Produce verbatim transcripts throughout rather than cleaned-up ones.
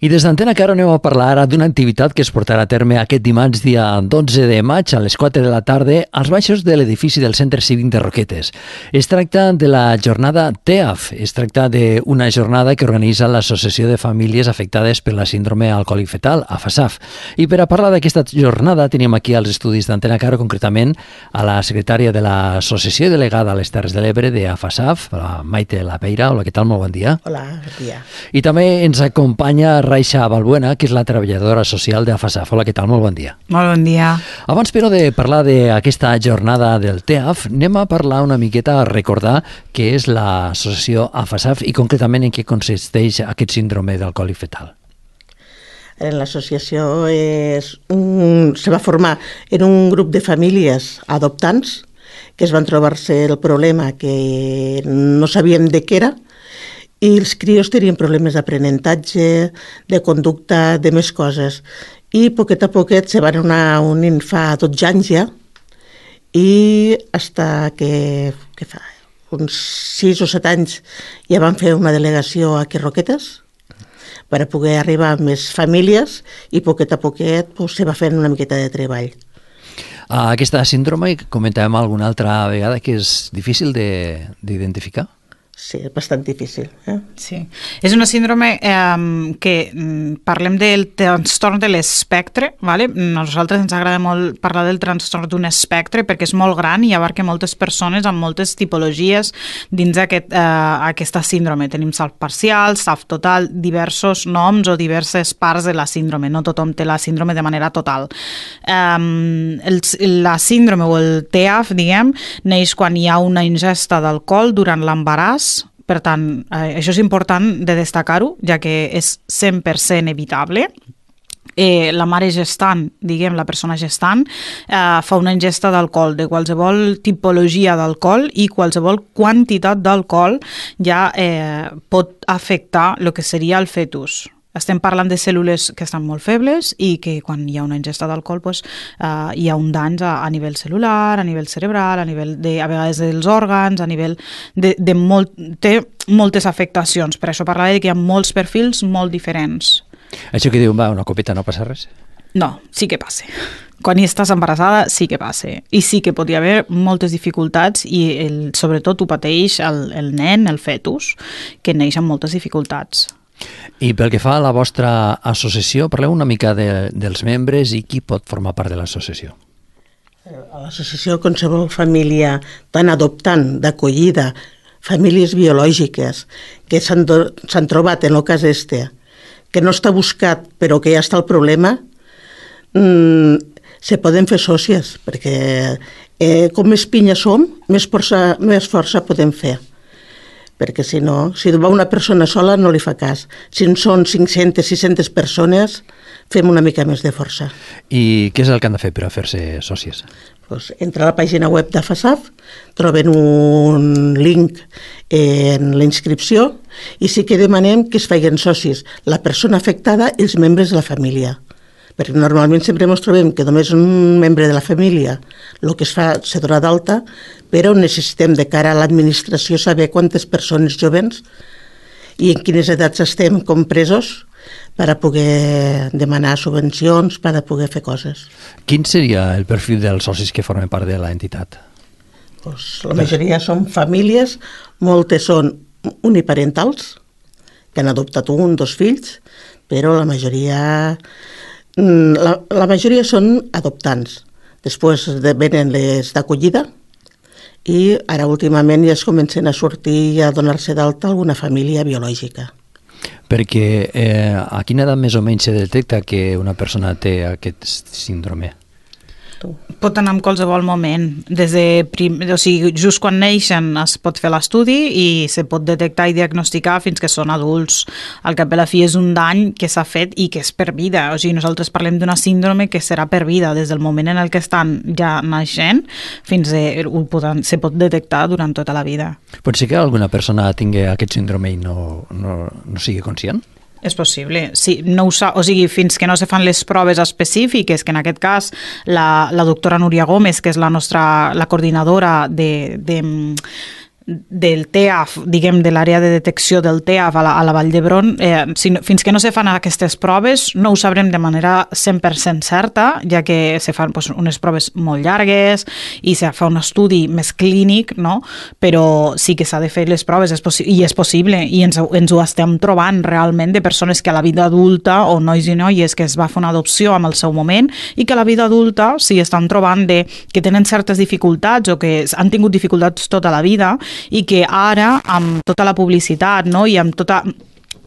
I des d'Antena Caro anem a parlar ara d'una activitat que es portarà a terme aquest dimarts dia dotze de maig a les quatre de la tarda als baixos de l'edifici del Centre Cívic de Roquetes. Es tracta de la jornada T E A F. Es tracta d'una jornada que organitza l'Associació de Famílies Afectades per la Síndrome Alcohòlic Fetal, A F A S A F. I per a parlar d'aquesta jornada tenim aquí als estudis d'Antena Caro, concretament a la secretària de l'Associació i delegada a les Terres de l'Ebre de A F A S A F, la Maite Lapeira. Hola, què tal? Molt bon dia. Hola, bon dia. I també ens acompanya Raixa Balbuena, que és la treballadora social de A F A S A F. Hola, què tal? Molt bon dia. Molt bon dia. Abans, però, de parlar d'aquesta jornada del T E A F, anem a parlar una miqueta, a recordar què és l'associació A F A S A F i concretament en què consisteix aquest síndrome d'alcohòlic fetal. L'associació és un, se va formar en un grup de famílies adoptants que es van trobar-se el problema que no sabien de què era, i els crios tenien problemes d'aprenentatge, de conducta, de més coses. I poquet a poquet se van anar unint fa dotze anys ja, i fins que, que fa uns sis o set anys ja van fer una delegació aquí a Roquetes per a poder arribar a més famílies, i poquet a poquet pues, se va fent una miqueta de treball. Aquesta síndrome, comentàvem alguna altra vegada, que és difícil d'identificar? Sí, és bastant difícil. Eh? Sí. És una síndrome eh, que parlem del trastorn de l'espectre, ¿vale? A nosaltres ens agrada molt parlar del trastorn d'un espectre perquè és molt gran i abarca moltes persones amb moltes tipologies dins aquest, eh, aquesta síndrome. Tenim S A F parcial, S A F total, diversos noms o diverses parts de la síndrome. No tothom té la síndrome de manera total. Eh, el, la síndrome o el T E A F, diguem, neix quan hi ha una ingesta d'alcohol durant l'embaràs. Per tant, eh, això és important de destacar-ho, ja que és cent per cent evitable. Eh, la mare gestant, diguem, la persona gestant, eh, fa una ingesta d'alcohol, de qualsevol tipologia d'alcohol, i qualsevol quantitat d'alcohol ja eh, pot afectar el que seria el fetus. Estem parlant de cèl·lules que estan molt febles i que quan hi ha una ingesta d'alcohol pues, uh, hi ha un dany a, a nivell cel·lular, a nivell cerebral, a nivell de, a vegades dels òrgans, a nivell de, de molt, té moltes afectacions. Per això parlava que hi ha molts perfils molt diferents. Això que diuen, va, una copeta no passa res? No, sí que passa. Quan hi estàs embarassada sí que passa. I sí que pot hi haver moltes dificultats i el, sobretot ho pateix el, el nen, el fetus, que neix amb moltes dificultats. I pel que fa a la vostra associació, parleu una mica de, dels membres i qui pot formar part de l'associació. A l'associació, qualsevol família tan adoptant, d'acollida, famílies biològiques que s'han trobat en el cas este, que no està buscat però que ja està el problema, mmm, se poden fer sòcies, perquè eh, com més pinya som, més força, més força podem fer. Perquè si no, si va una persona sola no li fa cas. Si en són cinc-centes, sis-centes persones, fem una mica més de força. I què és el que han de fer per a fer-se sòcies? Pues, entra a la pàgina web d'A F A S A F, troben un link en la inscripció i sí que demanem que es facin socis la persona afectada i els membres de la família. Perquè normalment sempre ens trobem que només un membre de la família el que es fa se dona d'alta, però necessitem de cara a l'administració saber quantes persones jovens i en quines edats estem compresos per a poder demanar subvencions, per a poder fer coses. Quin seria el perfil dels socis que formen part de l'entitat? Pues, la majoria són famílies, moltes són uniparentals, que han adoptat un, dos fills, però la majoria... La, la majoria són adoptants. Després venen les d'acollida i ara últimament ja es comencen a sortir i a donar-se d'alta alguna família biològica. Perquè eh, a quina edat més o menys se detecta que una persona té aquest síndrome? Pot anar en qualsevol moment. Des de prim... o sigui, just quan neixen es pot fer l'estudi i se pot detectar i diagnosticar fins que són adults. Al cap i a la fi és un dany que s'ha fet i que és per vida. O sigui, nosaltres parlem d'una síndrome que serà per vida. Des del moment en el que estan ja naixent fins a, ho poden, se pot detectar durant tota la vida. Pot ser que alguna persona tingui aquest síndrome i no, no, no sigui conscient? És possible, sí, no ho sa, o sigui, fins que no se fan les proves específiques, que en aquest cas la, la doctora Núria Gómez, que és la nostra la coordinadora de, de del T E A F, diguem, de l'àrea de detecció del T E A F a la, a la Vall d'Hebron, eh, si, fins que no se fan aquestes proves no ho sabrem de manera cent per cent certa, ja que se fan pues, unes proves molt llargues i se fa un estudi més clínic, no? Però sí que s'ha de fer les proves és i és possible, i ens, ens ho estem trobant realment de persones que a la vida adulta, o nois i noies que es va fer una adopció en el seu moment, i que a la vida adulta s'hi estan trobant de, que tenen certes dificultats o que han tingut dificultats tota la vida, i que ara, amb tota la publicitat, no? I amb tota...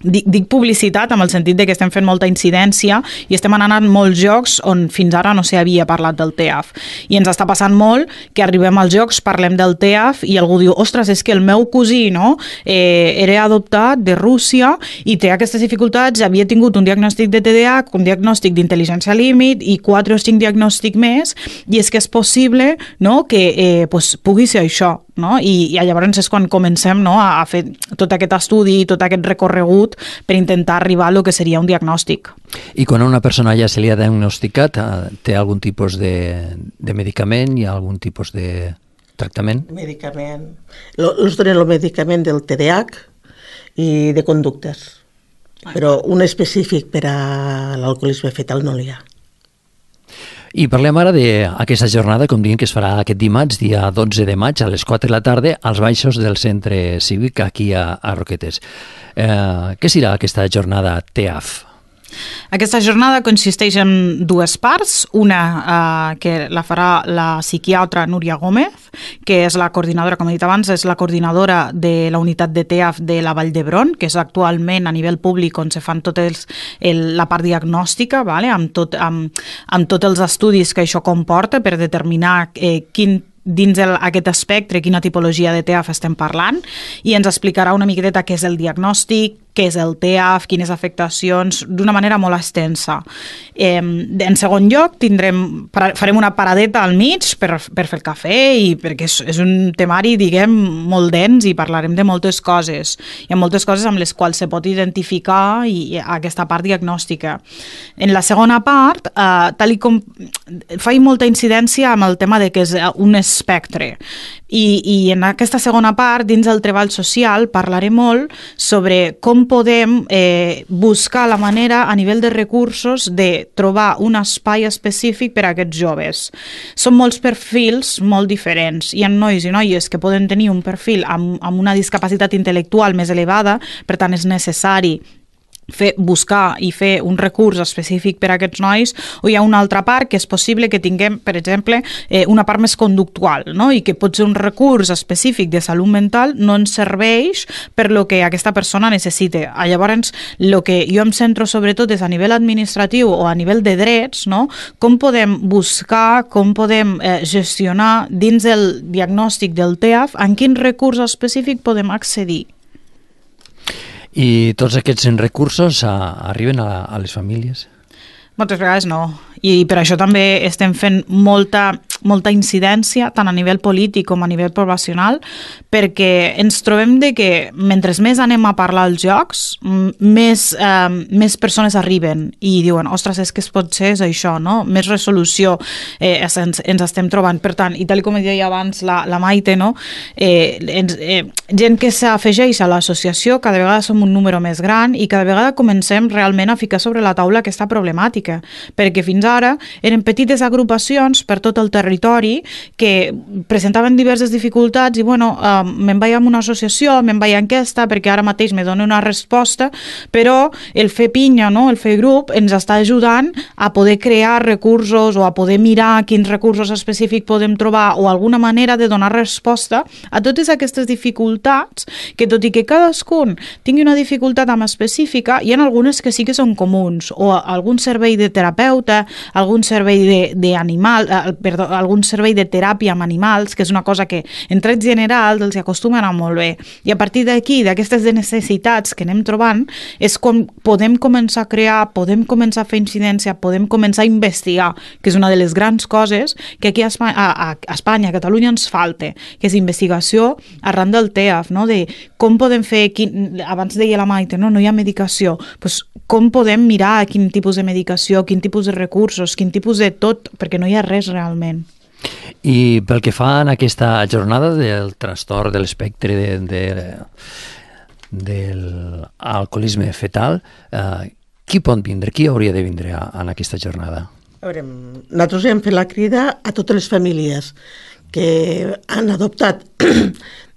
Dic, dic publicitat amb el sentit de que estem fent molta incidència i estem anant a molts jocs on fins ara no s'havia parlat del T E A F. I ens està passant molt que arribem als jocs, parlem del T E A F i algú diu, ostres, és que el meu cosí, no? eh, era adoptat de Rússia i té aquestes dificultats, havia tingut un diagnòstic de T D A H, un diagnòstic d'intel·ligència límit i quatre o cinc diagnòstics més, i és que és possible, no?, que eh, pues, pugui ser això. No? I, i llavors és quan comencem, no?, a, a fer tot aquest estudi, tot aquest recorregut per intentar arribar a lo que seria un diagnòstic. I quan a una persona ja se li ha diagnosticat, té algun tipus de, de medicament i algun tipus de tractament? Medicament. Ens donen el medicament del T D A H i de conductes, però un específic per a l'alcoholisme fetal no n'hi ha. I parlem ara d'aquesta jornada, com diem, que es farà aquest dimarts, dia dotze de maig, a les quatre de la tarda, als baixos del centre cívic aquí a, a Roquetes. Eh, què serà aquesta jornada T E A F? Aquesta jornada consisteix en dues parts, una eh, que la farà la psiquiatra Núria Gómez, que és la coordinadora, com he dit abans, és la coordinadora de la unitat de T E A F de la Vall d'Hebron, que és actualment a nivell públic on se fan tot els, el, la part diagnòstica, vale? amb, tot, amb, amb tots els estudis que això comporta per determinar eh, quin dins el, aquest espectre, quina tipologia de T E A F estem parlant, i ens explicarà una miqueta què és el diagnòstic, què és el T E A F, quines afectacions, d'una manera molt extensa. Eh, en segon lloc, tindrem, farem una paradeta al mig per, per fer el cafè, i perquè és, és un temari, diguem, molt dens, i parlarem de moltes coses. Hi ha moltes coses amb les quals se pot identificar i, i aquesta part diagnòstica. En la segona part, eh, tal i com faig molta incidència amb el tema de que és un espectre. I, i en aquesta segona part, dins del treball social, parlaré molt sobre com podem eh, buscar la manera a nivell de recursos de trobar un espai específic per a aquests joves. Són molts perfils molt diferents. Hi ha nois i noies que poden tenir un perfil amb, amb una discapacitat intel·lectual més elevada, per tant és necessari fer, buscar i fer un recurs específic per a aquests nois, o hi ha una altra part que és possible que tinguem, per exemple, eh, una part més conductual, no? I que pot ser un recurs específic de salut mental no ens serveix per lo que aquesta persona necessita. Llavors, el que jo em centro sobretot és a nivell administratiu o a nivell de drets, no? Com podem buscar, com podem eh, gestionar dins el diagnòstic del T E A F, en quin recurs específic podem accedir. I tots aquests recursos a, arriben a, a les famílies? Moltes vegades no. I per això també estem fent molta, molta incidència, tant a nivell polític com a nivell poblacional, perquè ens trobem de que mentre més anem a parlar als jocs, més, eh, més persones arriben i diuen, ostres, és que es pot ser és això, no? Més resolució eh, ens, ens estem trobant. Per tant, i tal com deia abans la, la Maite, no? eh, ens, eh, gent que s'afegeix a l'associació, cada vegada som un número més gran i cada vegada comencem realment a ficar sobre la taula aquesta problemàtica, perquè fins ara eren petites agrupacions per tot el territori que presentaven diverses dificultats i, bueno, eh, me'n vaig a una associació, me'n vaig a aquesta, perquè ara mateix me dona una resposta, però el fer pinya, no?, el fer grup, ens està ajudant a poder crear recursos o a poder mirar quins recursos específics podem trobar o alguna manera de donar resposta a totes aquestes dificultats que, tot i que cadascun tingui una dificultat amb específica, hi ha algunes que sí que són comuns, o algun servei de terapeuta, algun servei de, de animal, eh, perdó, algun servei de teràpia amb animals, que és una cosa que en trets generals els acostuma a anar molt bé. I a partir d'aquí, d'aquestes necessitats que anem trobant, és com podem començar a crear, podem començar a fer incidència, podem començar a investigar, que és una de les grans coses que aquí a Espanya, a, a Espanya, a Catalunya ens falta, que és investigació arran del T E A F, no? De com podem fer, quin, abans deia la Maite, no, no hi ha medicació, doncs com podem mirar quin tipus de medicació, quin tipus de recursos, quin tipus de tot, perquè no hi ha res realment. I pel que fa en aquesta jornada del trastorn de l'espectre de, de, de l'alcoholisme fetal, eh, qui pot vindre? Qui hauria de vindre a, en aquesta jornada? A veure, nosaltres hem fet la crida a totes les famílies que han adoptat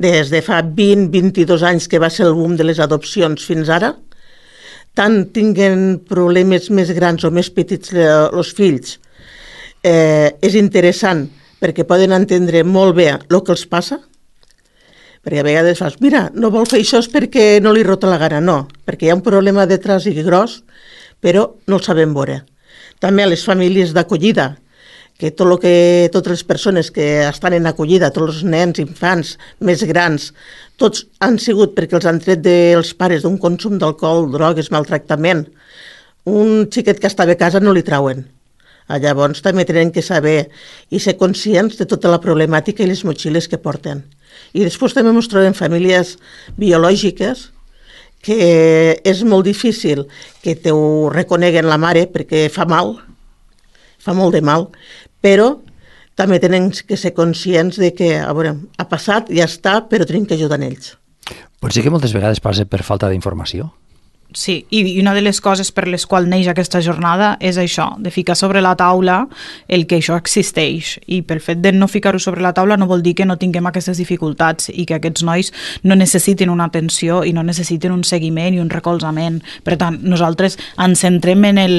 des de fa vint a vint-i-dos anys, que va ser el boom de les adopcions fins ara, tant tinguen problemes més grans o més petits els fills, eh, és interessant perquè poden entendre molt bé el que els passa, perquè a vegades fas, mira, no vol fer això perquè no li rota la gana, no, perquè hi ha un problema detrás i gros, però no el sabem veure. També a les famílies d'acollida, que, tot lo que totes les persones que estan en acollida, tots els nens, infants, més grans, tots han sigut perquè els han tret dels pares d'un consum d'alcohol, drogues, maltractament. Un xiquet que estava a casa no li trauen. Llavors també tenen que saber i ser conscients de tota la problemàtica i les motxilles que porten. I després també ens trobem famílies biològiques que és molt difícil que te ho reconeguen la mare perquè fa mal, fa molt de mal, però també tenen que ser conscients de que, a veure, ha passat, ja està, però tenim que ajudar en ells. Pot ser que moltes vegades passa per falta d'informació. Sí, i una de les coses per les quals neix aquesta jornada és això, de ficar sobre la taula el que això existeix, i pel fet de no ficar-ho sobre la taula no vol dir que no tinguem aquestes dificultats i que aquests nois no necessitin una atenció i no necessitin un seguiment i un recolzament. Per tant, nosaltres ens centrem en el...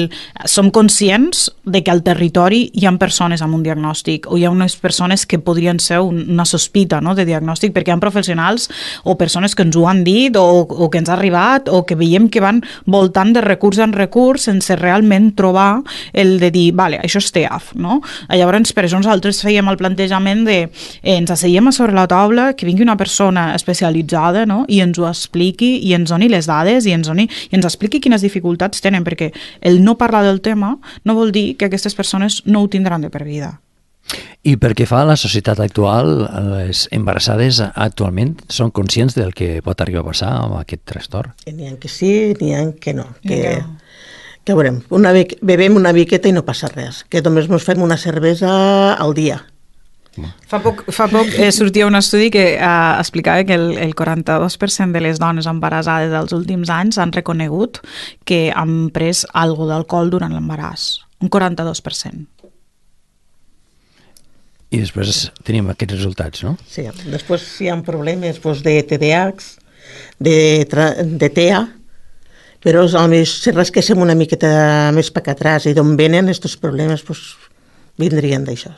Som conscients de que al territori hi ha persones amb un diagnòstic o hi ha unes persones que podrien ser una sospita, no?, de diagnòstic, perquè hi ha professionals o persones que ens ho han dit o, o que ens ha arribat o que veiem que van voltant de recurs en recurs sense realment trobar el de dir, vale, això és T E A F, no? Llavors, per això nosaltres fèiem el plantejament de eh, ens asseiem a sobre la taula, que vingui una persona especialitzada, no?, i ens ho expliqui i ens doni les dades i ens, doni, i ens expliqui quines dificultats tenen, perquè el no parlar del tema no vol dir que aquestes persones no ho tindran de per vida. I pel que fa a la societat actual, les embarassades actualment són conscients del que pot arribar a passar amb aquest trastorn? N'hi ha que sí, n'hi ha que no. Que, que veurem, una, bevem una miqueta i no passa res, que només ens fem una cervesa al dia. Fa poc, fa poc eh, sortia un estudi que eh, explicava que el, el quaranta-dos per cent de les dones embarassades dels últims anys han reconegut que han pres algo d'alcohol durant l'embaràs. Un quaranta-dos per cent. I després tenim aquests resultats, no? Sí, després hi ha problemes doncs, de T D A H, de, de T E A, però si rasquéssim una miqueta més per atrás i d'on venen aquests problemes, doncs, vindrien d'això.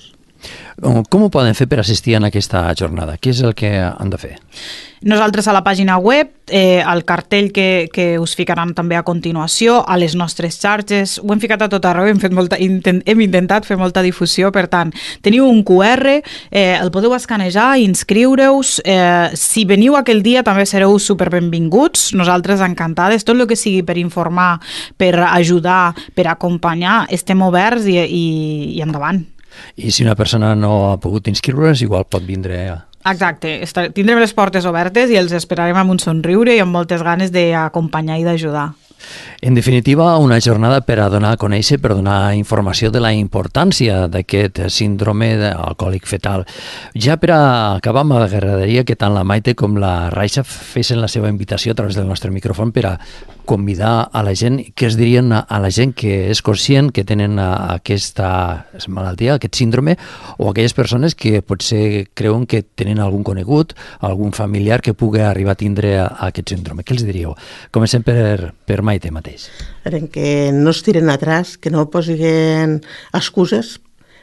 Com ho poden fer per assistir a aquesta jornada? Què és el que han de fer? Nosaltres a la pàgina web, eh, al cartell que, que us ficaran també a continuació, a les nostres xarxes, ho hem ficat a tot arreu, hem, fet molta, intent, hem intentat fer molta difusió, per tant, teniu un Q R, eh, el podeu escanejar, inscriure-us, eh, si veniu aquell dia també sereu superbenvinguts, nosaltres encantades, tot el que sigui per informar, per ajudar, per acompanyar, estem oberts i, i, i endavant. I si una persona no ha pogut inscriure's, igual pot vindre a... Exacte, tindrem les portes obertes i els esperarem amb un somriure i amb moltes ganes d'acompanyar i d'ajudar. En definitiva, una jornada per a donar a conèixer, per donar informació de la importància d'aquest síndrome alcohòlic fetal. Ja per a acabar, m'agradaria que tant la Maite com la Raixa fessin la seva invitació a través del nostre micròfon per a convidar a la gent, que es dirien a la gent que és conscient que tenen aquesta malaltia, aquest síndrome, o aquelles persones que potser creuen que tenen algun conegut, algun familiar que pugui arribar a tindre aquest síndrome. Què els diríeu? Comencem per, per Maite mateix. Que no es tiren atrás, que no posin excuses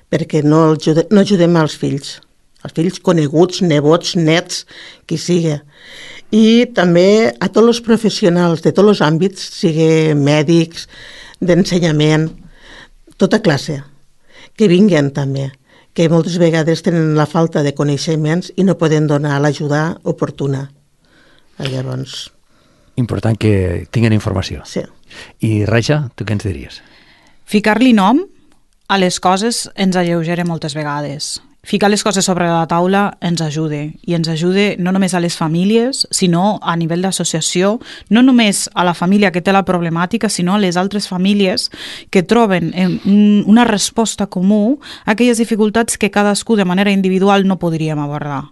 perquè no, ajude, no ajudem als fills, els fills coneguts, nebots, nets, qui sigui. I també a tots els professionals de tots els àmbits, sigui mèdics, d'ensenyament, tota classe, que vinguen també, que moltes vegades tenen la falta de coneixements i no poden donar l'ajuda oportuna. Llavors... Important que tinguin informació. Sí. I Raixa, tu què ens diries? Ficar-li nom a les coses ens alleugera moltes vegades. ficar les coses sobre la taula ens ajude, i ens ajude no només a les famílies, sinó a nivell d'associació, no només a la família que té la problemàtica, sinó a les altres famílies que troben una resposta comú a aquelles dificultats que cadascú de manera individual no podríem abordar.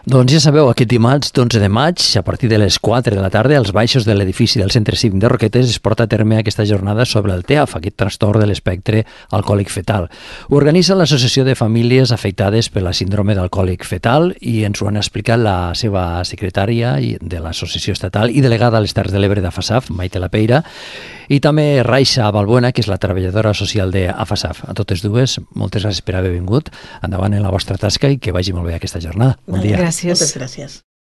Doncs ja sabeu, aquest dimarts d'onze de maig, a partir de les quatre de la tarda, als baixos de l'edifici del Centre Cívic de Roquetes es porta a terme aquesta jornada sobre el T E A F, aquest trastorn de l'espectre alcohòlic fetal. Ho organitza l'Associació de Famílies Afectades per la Síndrome d'Alcohòlic Fetal i ens ho han explicat la seva secretària de l'Associació Estatal i delegada a les Terres de l'Ebre d'AFASAF, Maite Lapeira, i també Raixa Balbuena, que és la treballadora social d'AFASAF. A totes dues, moltes gràcies per haver vingut. Endavant en la vostra tasca i que vagi molt bé aquesta jornada. Bon dia. Gràcies. Moltes gràcies.